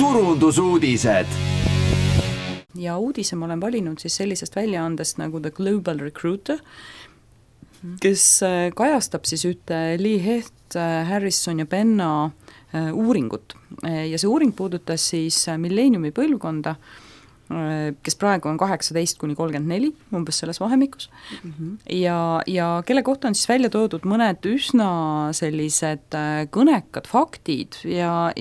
turundusuudised. Ja uudise ma olen valinud siis sellisest väljaandest nagu The Global Recruiter, kes kajastab siis ühte Lee Hecht, Harrison ja Penna uuringut. Ja see uuring puudutas siis milleeniumi põlvkonda, kes praegu on 18–34, umbes selles vahemikus, ja kelle kohta on siis välja toodud mõned üsna sellised kõnekad faktid ja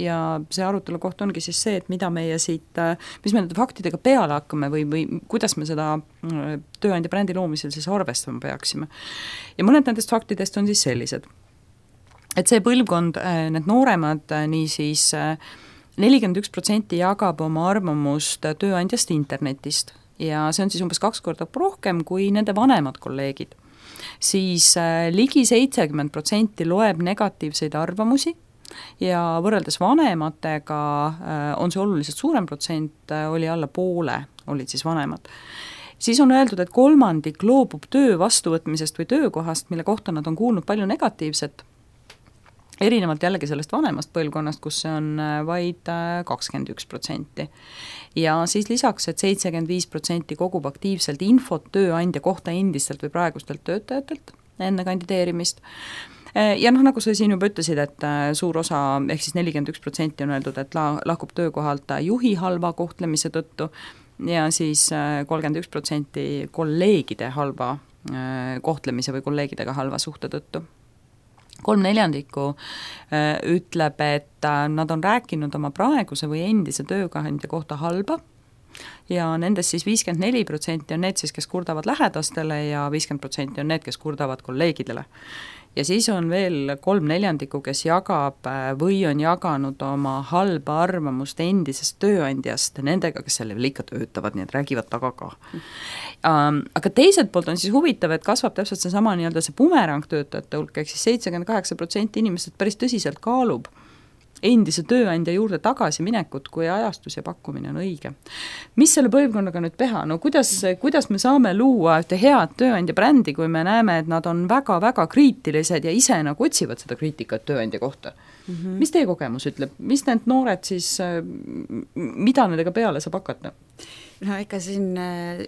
see arutelu koht ongi siis see, et mida meie siit, mis me nende faktidega peale hakkame või kuidas me seda tööandja brändi loomisel siis arvestama peaksime. Ja mõned nendest faktidest on siis sellised, et see põlvkond, need nooremad, nii siis 41% jagab oma arvamust tööandjast internetist ja see on siis umbes 2 korda rohkem kui nende vanemad kolleegid. Siis ligi 70% loeb negatiivseid arvamusi ja võrreldes vanematega on see oluliselt suurem protsent, oli alla poole, olid siis vanemad. Siis on öeldud, et 1/3 loobub töö vastuvõtmisest või töökohast, mille kohta nad on kuulnud palju negatiivset, erinevalt jällegi sellest vanemast põlvkonnast, kus see on vaid 21%. Ja siis lisaks, et 75% kogub aktiivselt infot tööandja kohta endistelt või praegustelt töötajatelt enne kandideerimist. Ja nagu sa siin juba ütlesid, et suur osa, ehk siis 41% on öeldud, et lahkub töökohalt juhi halva kohtlemise tõttu ja siis 31% kolleegide halva kohtlemise või kolleegidega halva suhte tõttu. 3/4 ütleb, et nad on rääkinud oma praeguse või endise tööandja kohta halba ja nendest siis 54% on need siis, kes kurdavad lähedastele ja 50% on need, kes kurdavad kolleegidele. Ja siis on veel 3/4, kes jagab või on jaganud oma halba arvamust endisest tööandjast nendega, kes selle veel ikka töötavad, nii et räägivad taga ka. Aga teiselt poolt on siis huvitav, et kasvab täpselt seesama nii-öelda see bumerang töötajate hulk, ehk siis 78% inimesed päris tõsiselt kaalub endise tööandja juurde tagasi minekut, kui ajastus ja pakkumine on õige. Mis selle põlvkonnaga nüüd teha? No kuidas me saame luua ühte head tööandja brändi, kui me näeme, et nad on väga-väga kriitilised ja ise nagu otsivad seda kriitikat tööandja kohta? Mis teie kogemus ütleb? Mis need noored siis, mida nendega peale saab hakata? No ega siin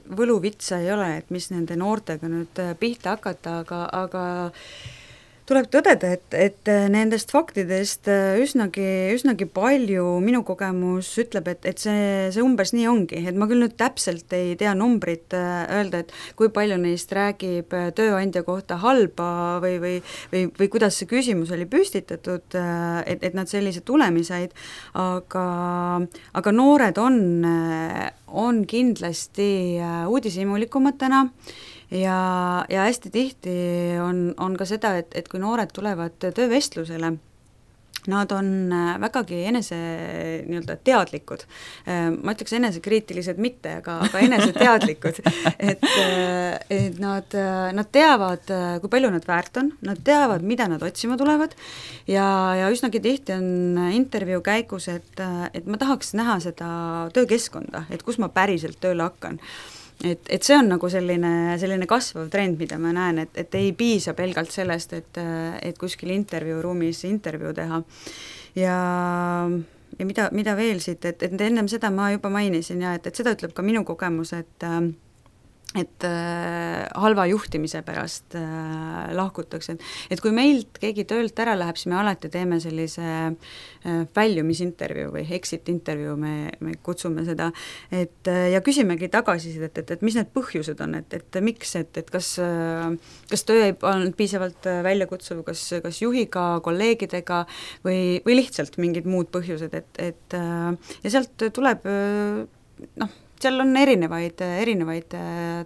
võluvitsa ei ole, et mis nende noortega nüüd pihta hakata, aga tuleb tõdeda, et nendest faktidest üsnagi palju minu kogemus ütleb, et see umbes nii ongi, et ma küll nüüd täpselt ei tea numbrit öelda, et kui palju neist räägib tööandja kohta halba või kuidas see küsimus oli püstitatud, et nad sellise tulemi said, aga noored on kindlasti uudishimulikumad täna, ja hästi tihti on ka seda, et kui noored tulevad töövestlusele, nad on vägagi nii-öelda teadlikud. Ma ütleks enesekriitilised mitte, aga eneseteadlikud, et nad teavad, kui palju nad väärt on, nad teavad, mida nad otsima tulevad ja üsnagi tihti on intervjuu käigus, et ma tahaks näha seda töökeskkonda, et kus ma päriselt tööle hakkan. Et see on nagu selline kasvav trend, mida ma näen, et ei piisa pelgalt sellest, et kuskil intervjuuruumis intervjuu teha. Ja mida veel siit, et ennem seda ma juba mainisin ja et seda ütleb ka minu kogemus, et halva juhtimise pärast lahkutakse. Et kui meilt keegi töölt ära läheb, siis me alati teeme sellise väljumisintervjuu või exit intervjuu, me kutsume seda, ja küsimegi tagasisidet, et mis need põhjused on, et miks, et kas töö ei olnud piisavalt väljakutsuv, kas juhiga, kolleegidega või lihtsalt mingid muud põhjused, ja sealt tuleb seal on erinevaid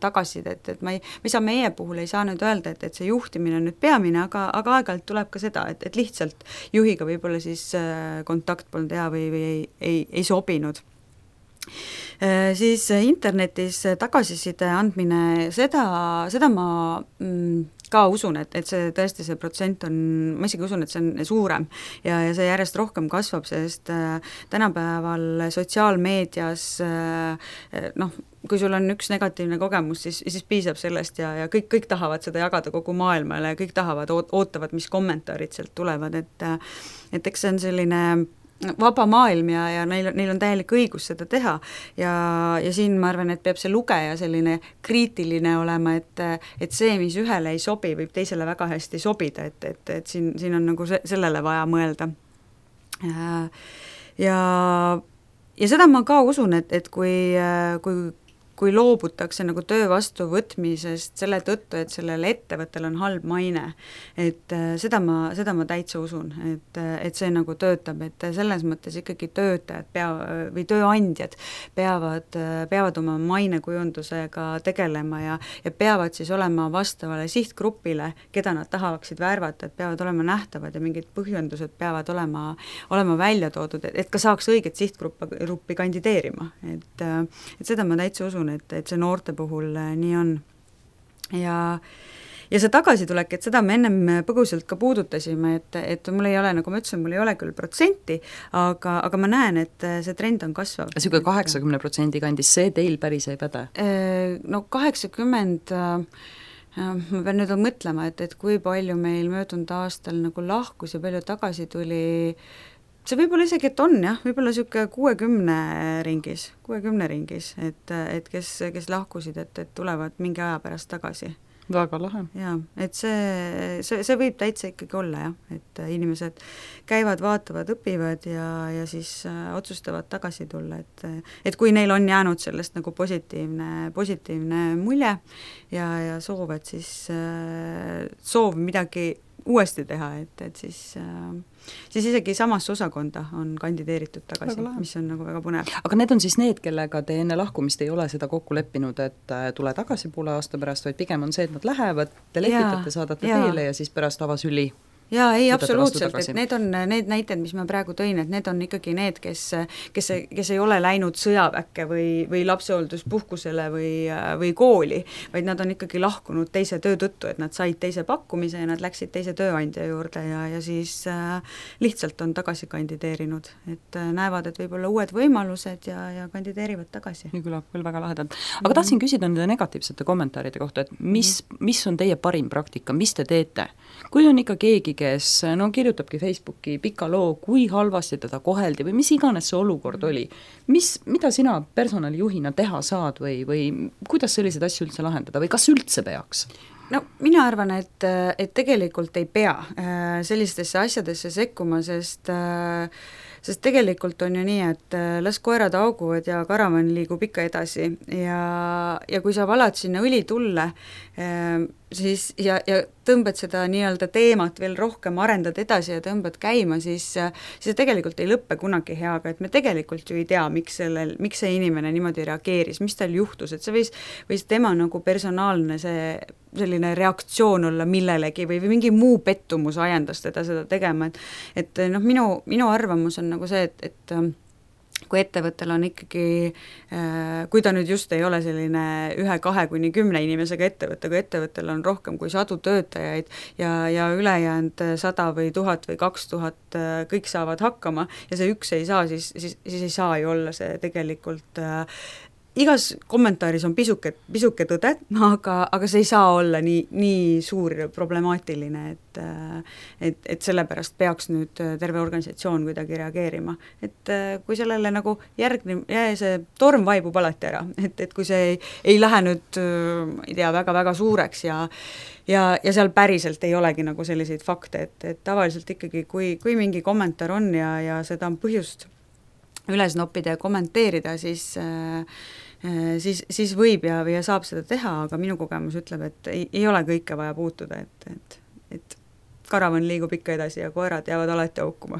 tagasisidet, et ma ei saa meie puhul ei saa nüüd öelda, et see juhtimine on nüüd peamine, aga aeg-ajalt tuleb ka seda, et lihtsalt juhiga võib-olla siis kontakt polnud hea või ei sobinud. Siis internetis tagasiside andmine, seda ma ka usun, et see tõesti see protsent on, ma isegi usun, et see on suurem ja see järjest rohkem kasvab, sest tänapäeval sotsiaalmeedias kui sul on üks negatiivne kogemus, siis piisab sellest ja kõik tahavad seda jagada kogu maailmale ja kõik ootavad, mis kommentaarid sealt tulevad, et eks see on selline vaba maailm ja neil on täielik õigus seda teha ja siin ma arvan, et peab see lugeja selline kriitiline olema, et see, mis ühele ei sobi, võib teisele väga hästi sobida, et siin on nagu sellele vaja mõelda. Ja seda ma ka usun, et kui loobutakse nagu töö vastu võtmisest selle tõttu, et sellel ettevõttel on halb maine, et seda ma täitsa usun, et see nagu töötab, et selles mõttes ikkagi töötajad või tööandjad peavad oma mainekujundusega tegelema ja peavad siis olema vastavale sihtgrupile, keda nad tahavaksid värvata, et peavad olema nähtavad ja mingid põhjendused peavad olema välja toodud, et ka saaks õiget sihtgruppi kandideerima, et seda ma täitsa usun, et see noorte puhul nii on. Ja see tagasitulek, et seda me ennem põgusalt ka puudutasime, et mul ei ole, nagu ma ütlesin, mul ei ole küll protsenti, aga ma näen, et see trend on kasvav. Siuke 80% kandis, see teil päris ei päde? No 80, ma pean nüüd mõtlema, et kui palju meil möödunud aastal nagu lahkus ja palju tagasi tuli, see võib-olla isegi, et on jah, võib-olla niisugune 60 ringis, et kes lahkusid, et tulevad mingi aja pärast tagasi. Väga lahe. Jaa, et see võib täitsa ikkagi olla jah, et inimesed käivad, vaatavad, õpivad ja siis otsustavad tagasi tulla, et kui neil on jäänud sellest nagu positiivne mulje ja soov, et siis soov midagi uuesti teha, et siis isegi samasse osakonda on kandideeritud tagasi, mis on nagu väga põnev. Aga need on siis need, kellega te enne lahkumist ei ole seda kokku leppinud, et tule tagasi poole aasta pärast, vaid pigem on see, et nad lähevad, te lepitate, saadate teele ja siis pärast avasüli? Jaa, ei, absoluutselt, et need on need näited, mis ma praegu tõin, et need on ikkagi need, kes ei ole läinud sõjaväkke või lapsehoolduspuhkusele või kooli, vaid nad on ikkagi lahkunud teise töö tõttu, et nad said teise pakkumise ja nad läksid teise tööandja juurde ja siis lihtsalt on tagasi kandideerinud, et näevad, et võib-olla uued võimalused ja kandideerivad tagasi. Nii küllab küll väga lahedalt. Aga tahtsin küsida nende negatiivsete kommentaaride kohta, et mis on teie parim praktika, mis te teete? Kui on ikka keegi, kes kirjutabki Facebooki pika loo, kui halvasti teda koheldi või mis iganes see olukord oli, mida sina personalijuhina teha saad või kuidas selliseid asju üldse lahendada või kas üldse peaks? No mina arvan, et tegelikult ei pea sellistesse asjadesse sekkuma, sest tegelikult on ju nii, et las koerad auguvad ja karavan liigub ikka edasi ja kui sa valad sinna õli tulle, siis ja tõmbad seda nii-öelda teemat veel rohkem, arendad edasi ja tõmbad käima, siis see tegelikult ei lõppe kunagi heaga, et me tegelikult ju ei tea, miks see inimene niimoodi reageeris, mis tal juhtus, et see võis tema nagu personaalne selline reaktsioon olla millelegi või mingi muu pettumus ajendas teda seda tegema, et noh, minu arvamus on nagu see, et kui ettevõttel on ikkagi, kui ta nüüd just ei ole selline 1, 2 kuni 10 inimesega ettevõte, kui ettevõttel on rohkem kui 100 töötajaid ja ülejäänud 100 või 1000 või 2000 kõik saavad hakkama ja see üks ei saa, siis ei saa ju olla see tegelikult igas kommentaaris on pisuke tõde, aga see ei saa olla nii suur problemaatiline, et sellepärast peaks nüüd terve organisatsioon kuidagi reageerima. Et kui sellele nagu see torm vaibub alati ära, et kui see ei lähe nüüd, ei tea, väga-väga suureks ja seal päriselt ei olegi nagu selliseid fakte, et tavaliselt ikkagi, kui mingi kommentaar on ja seda on põhjust üles noppida ja kommenteerida, siis võib ja saab seda teha, aga minu kogemus ütleb, et ei ole kõike vaja puutuda, et karavan liigub ikka edasi ja koerad jäävad alati aukuma.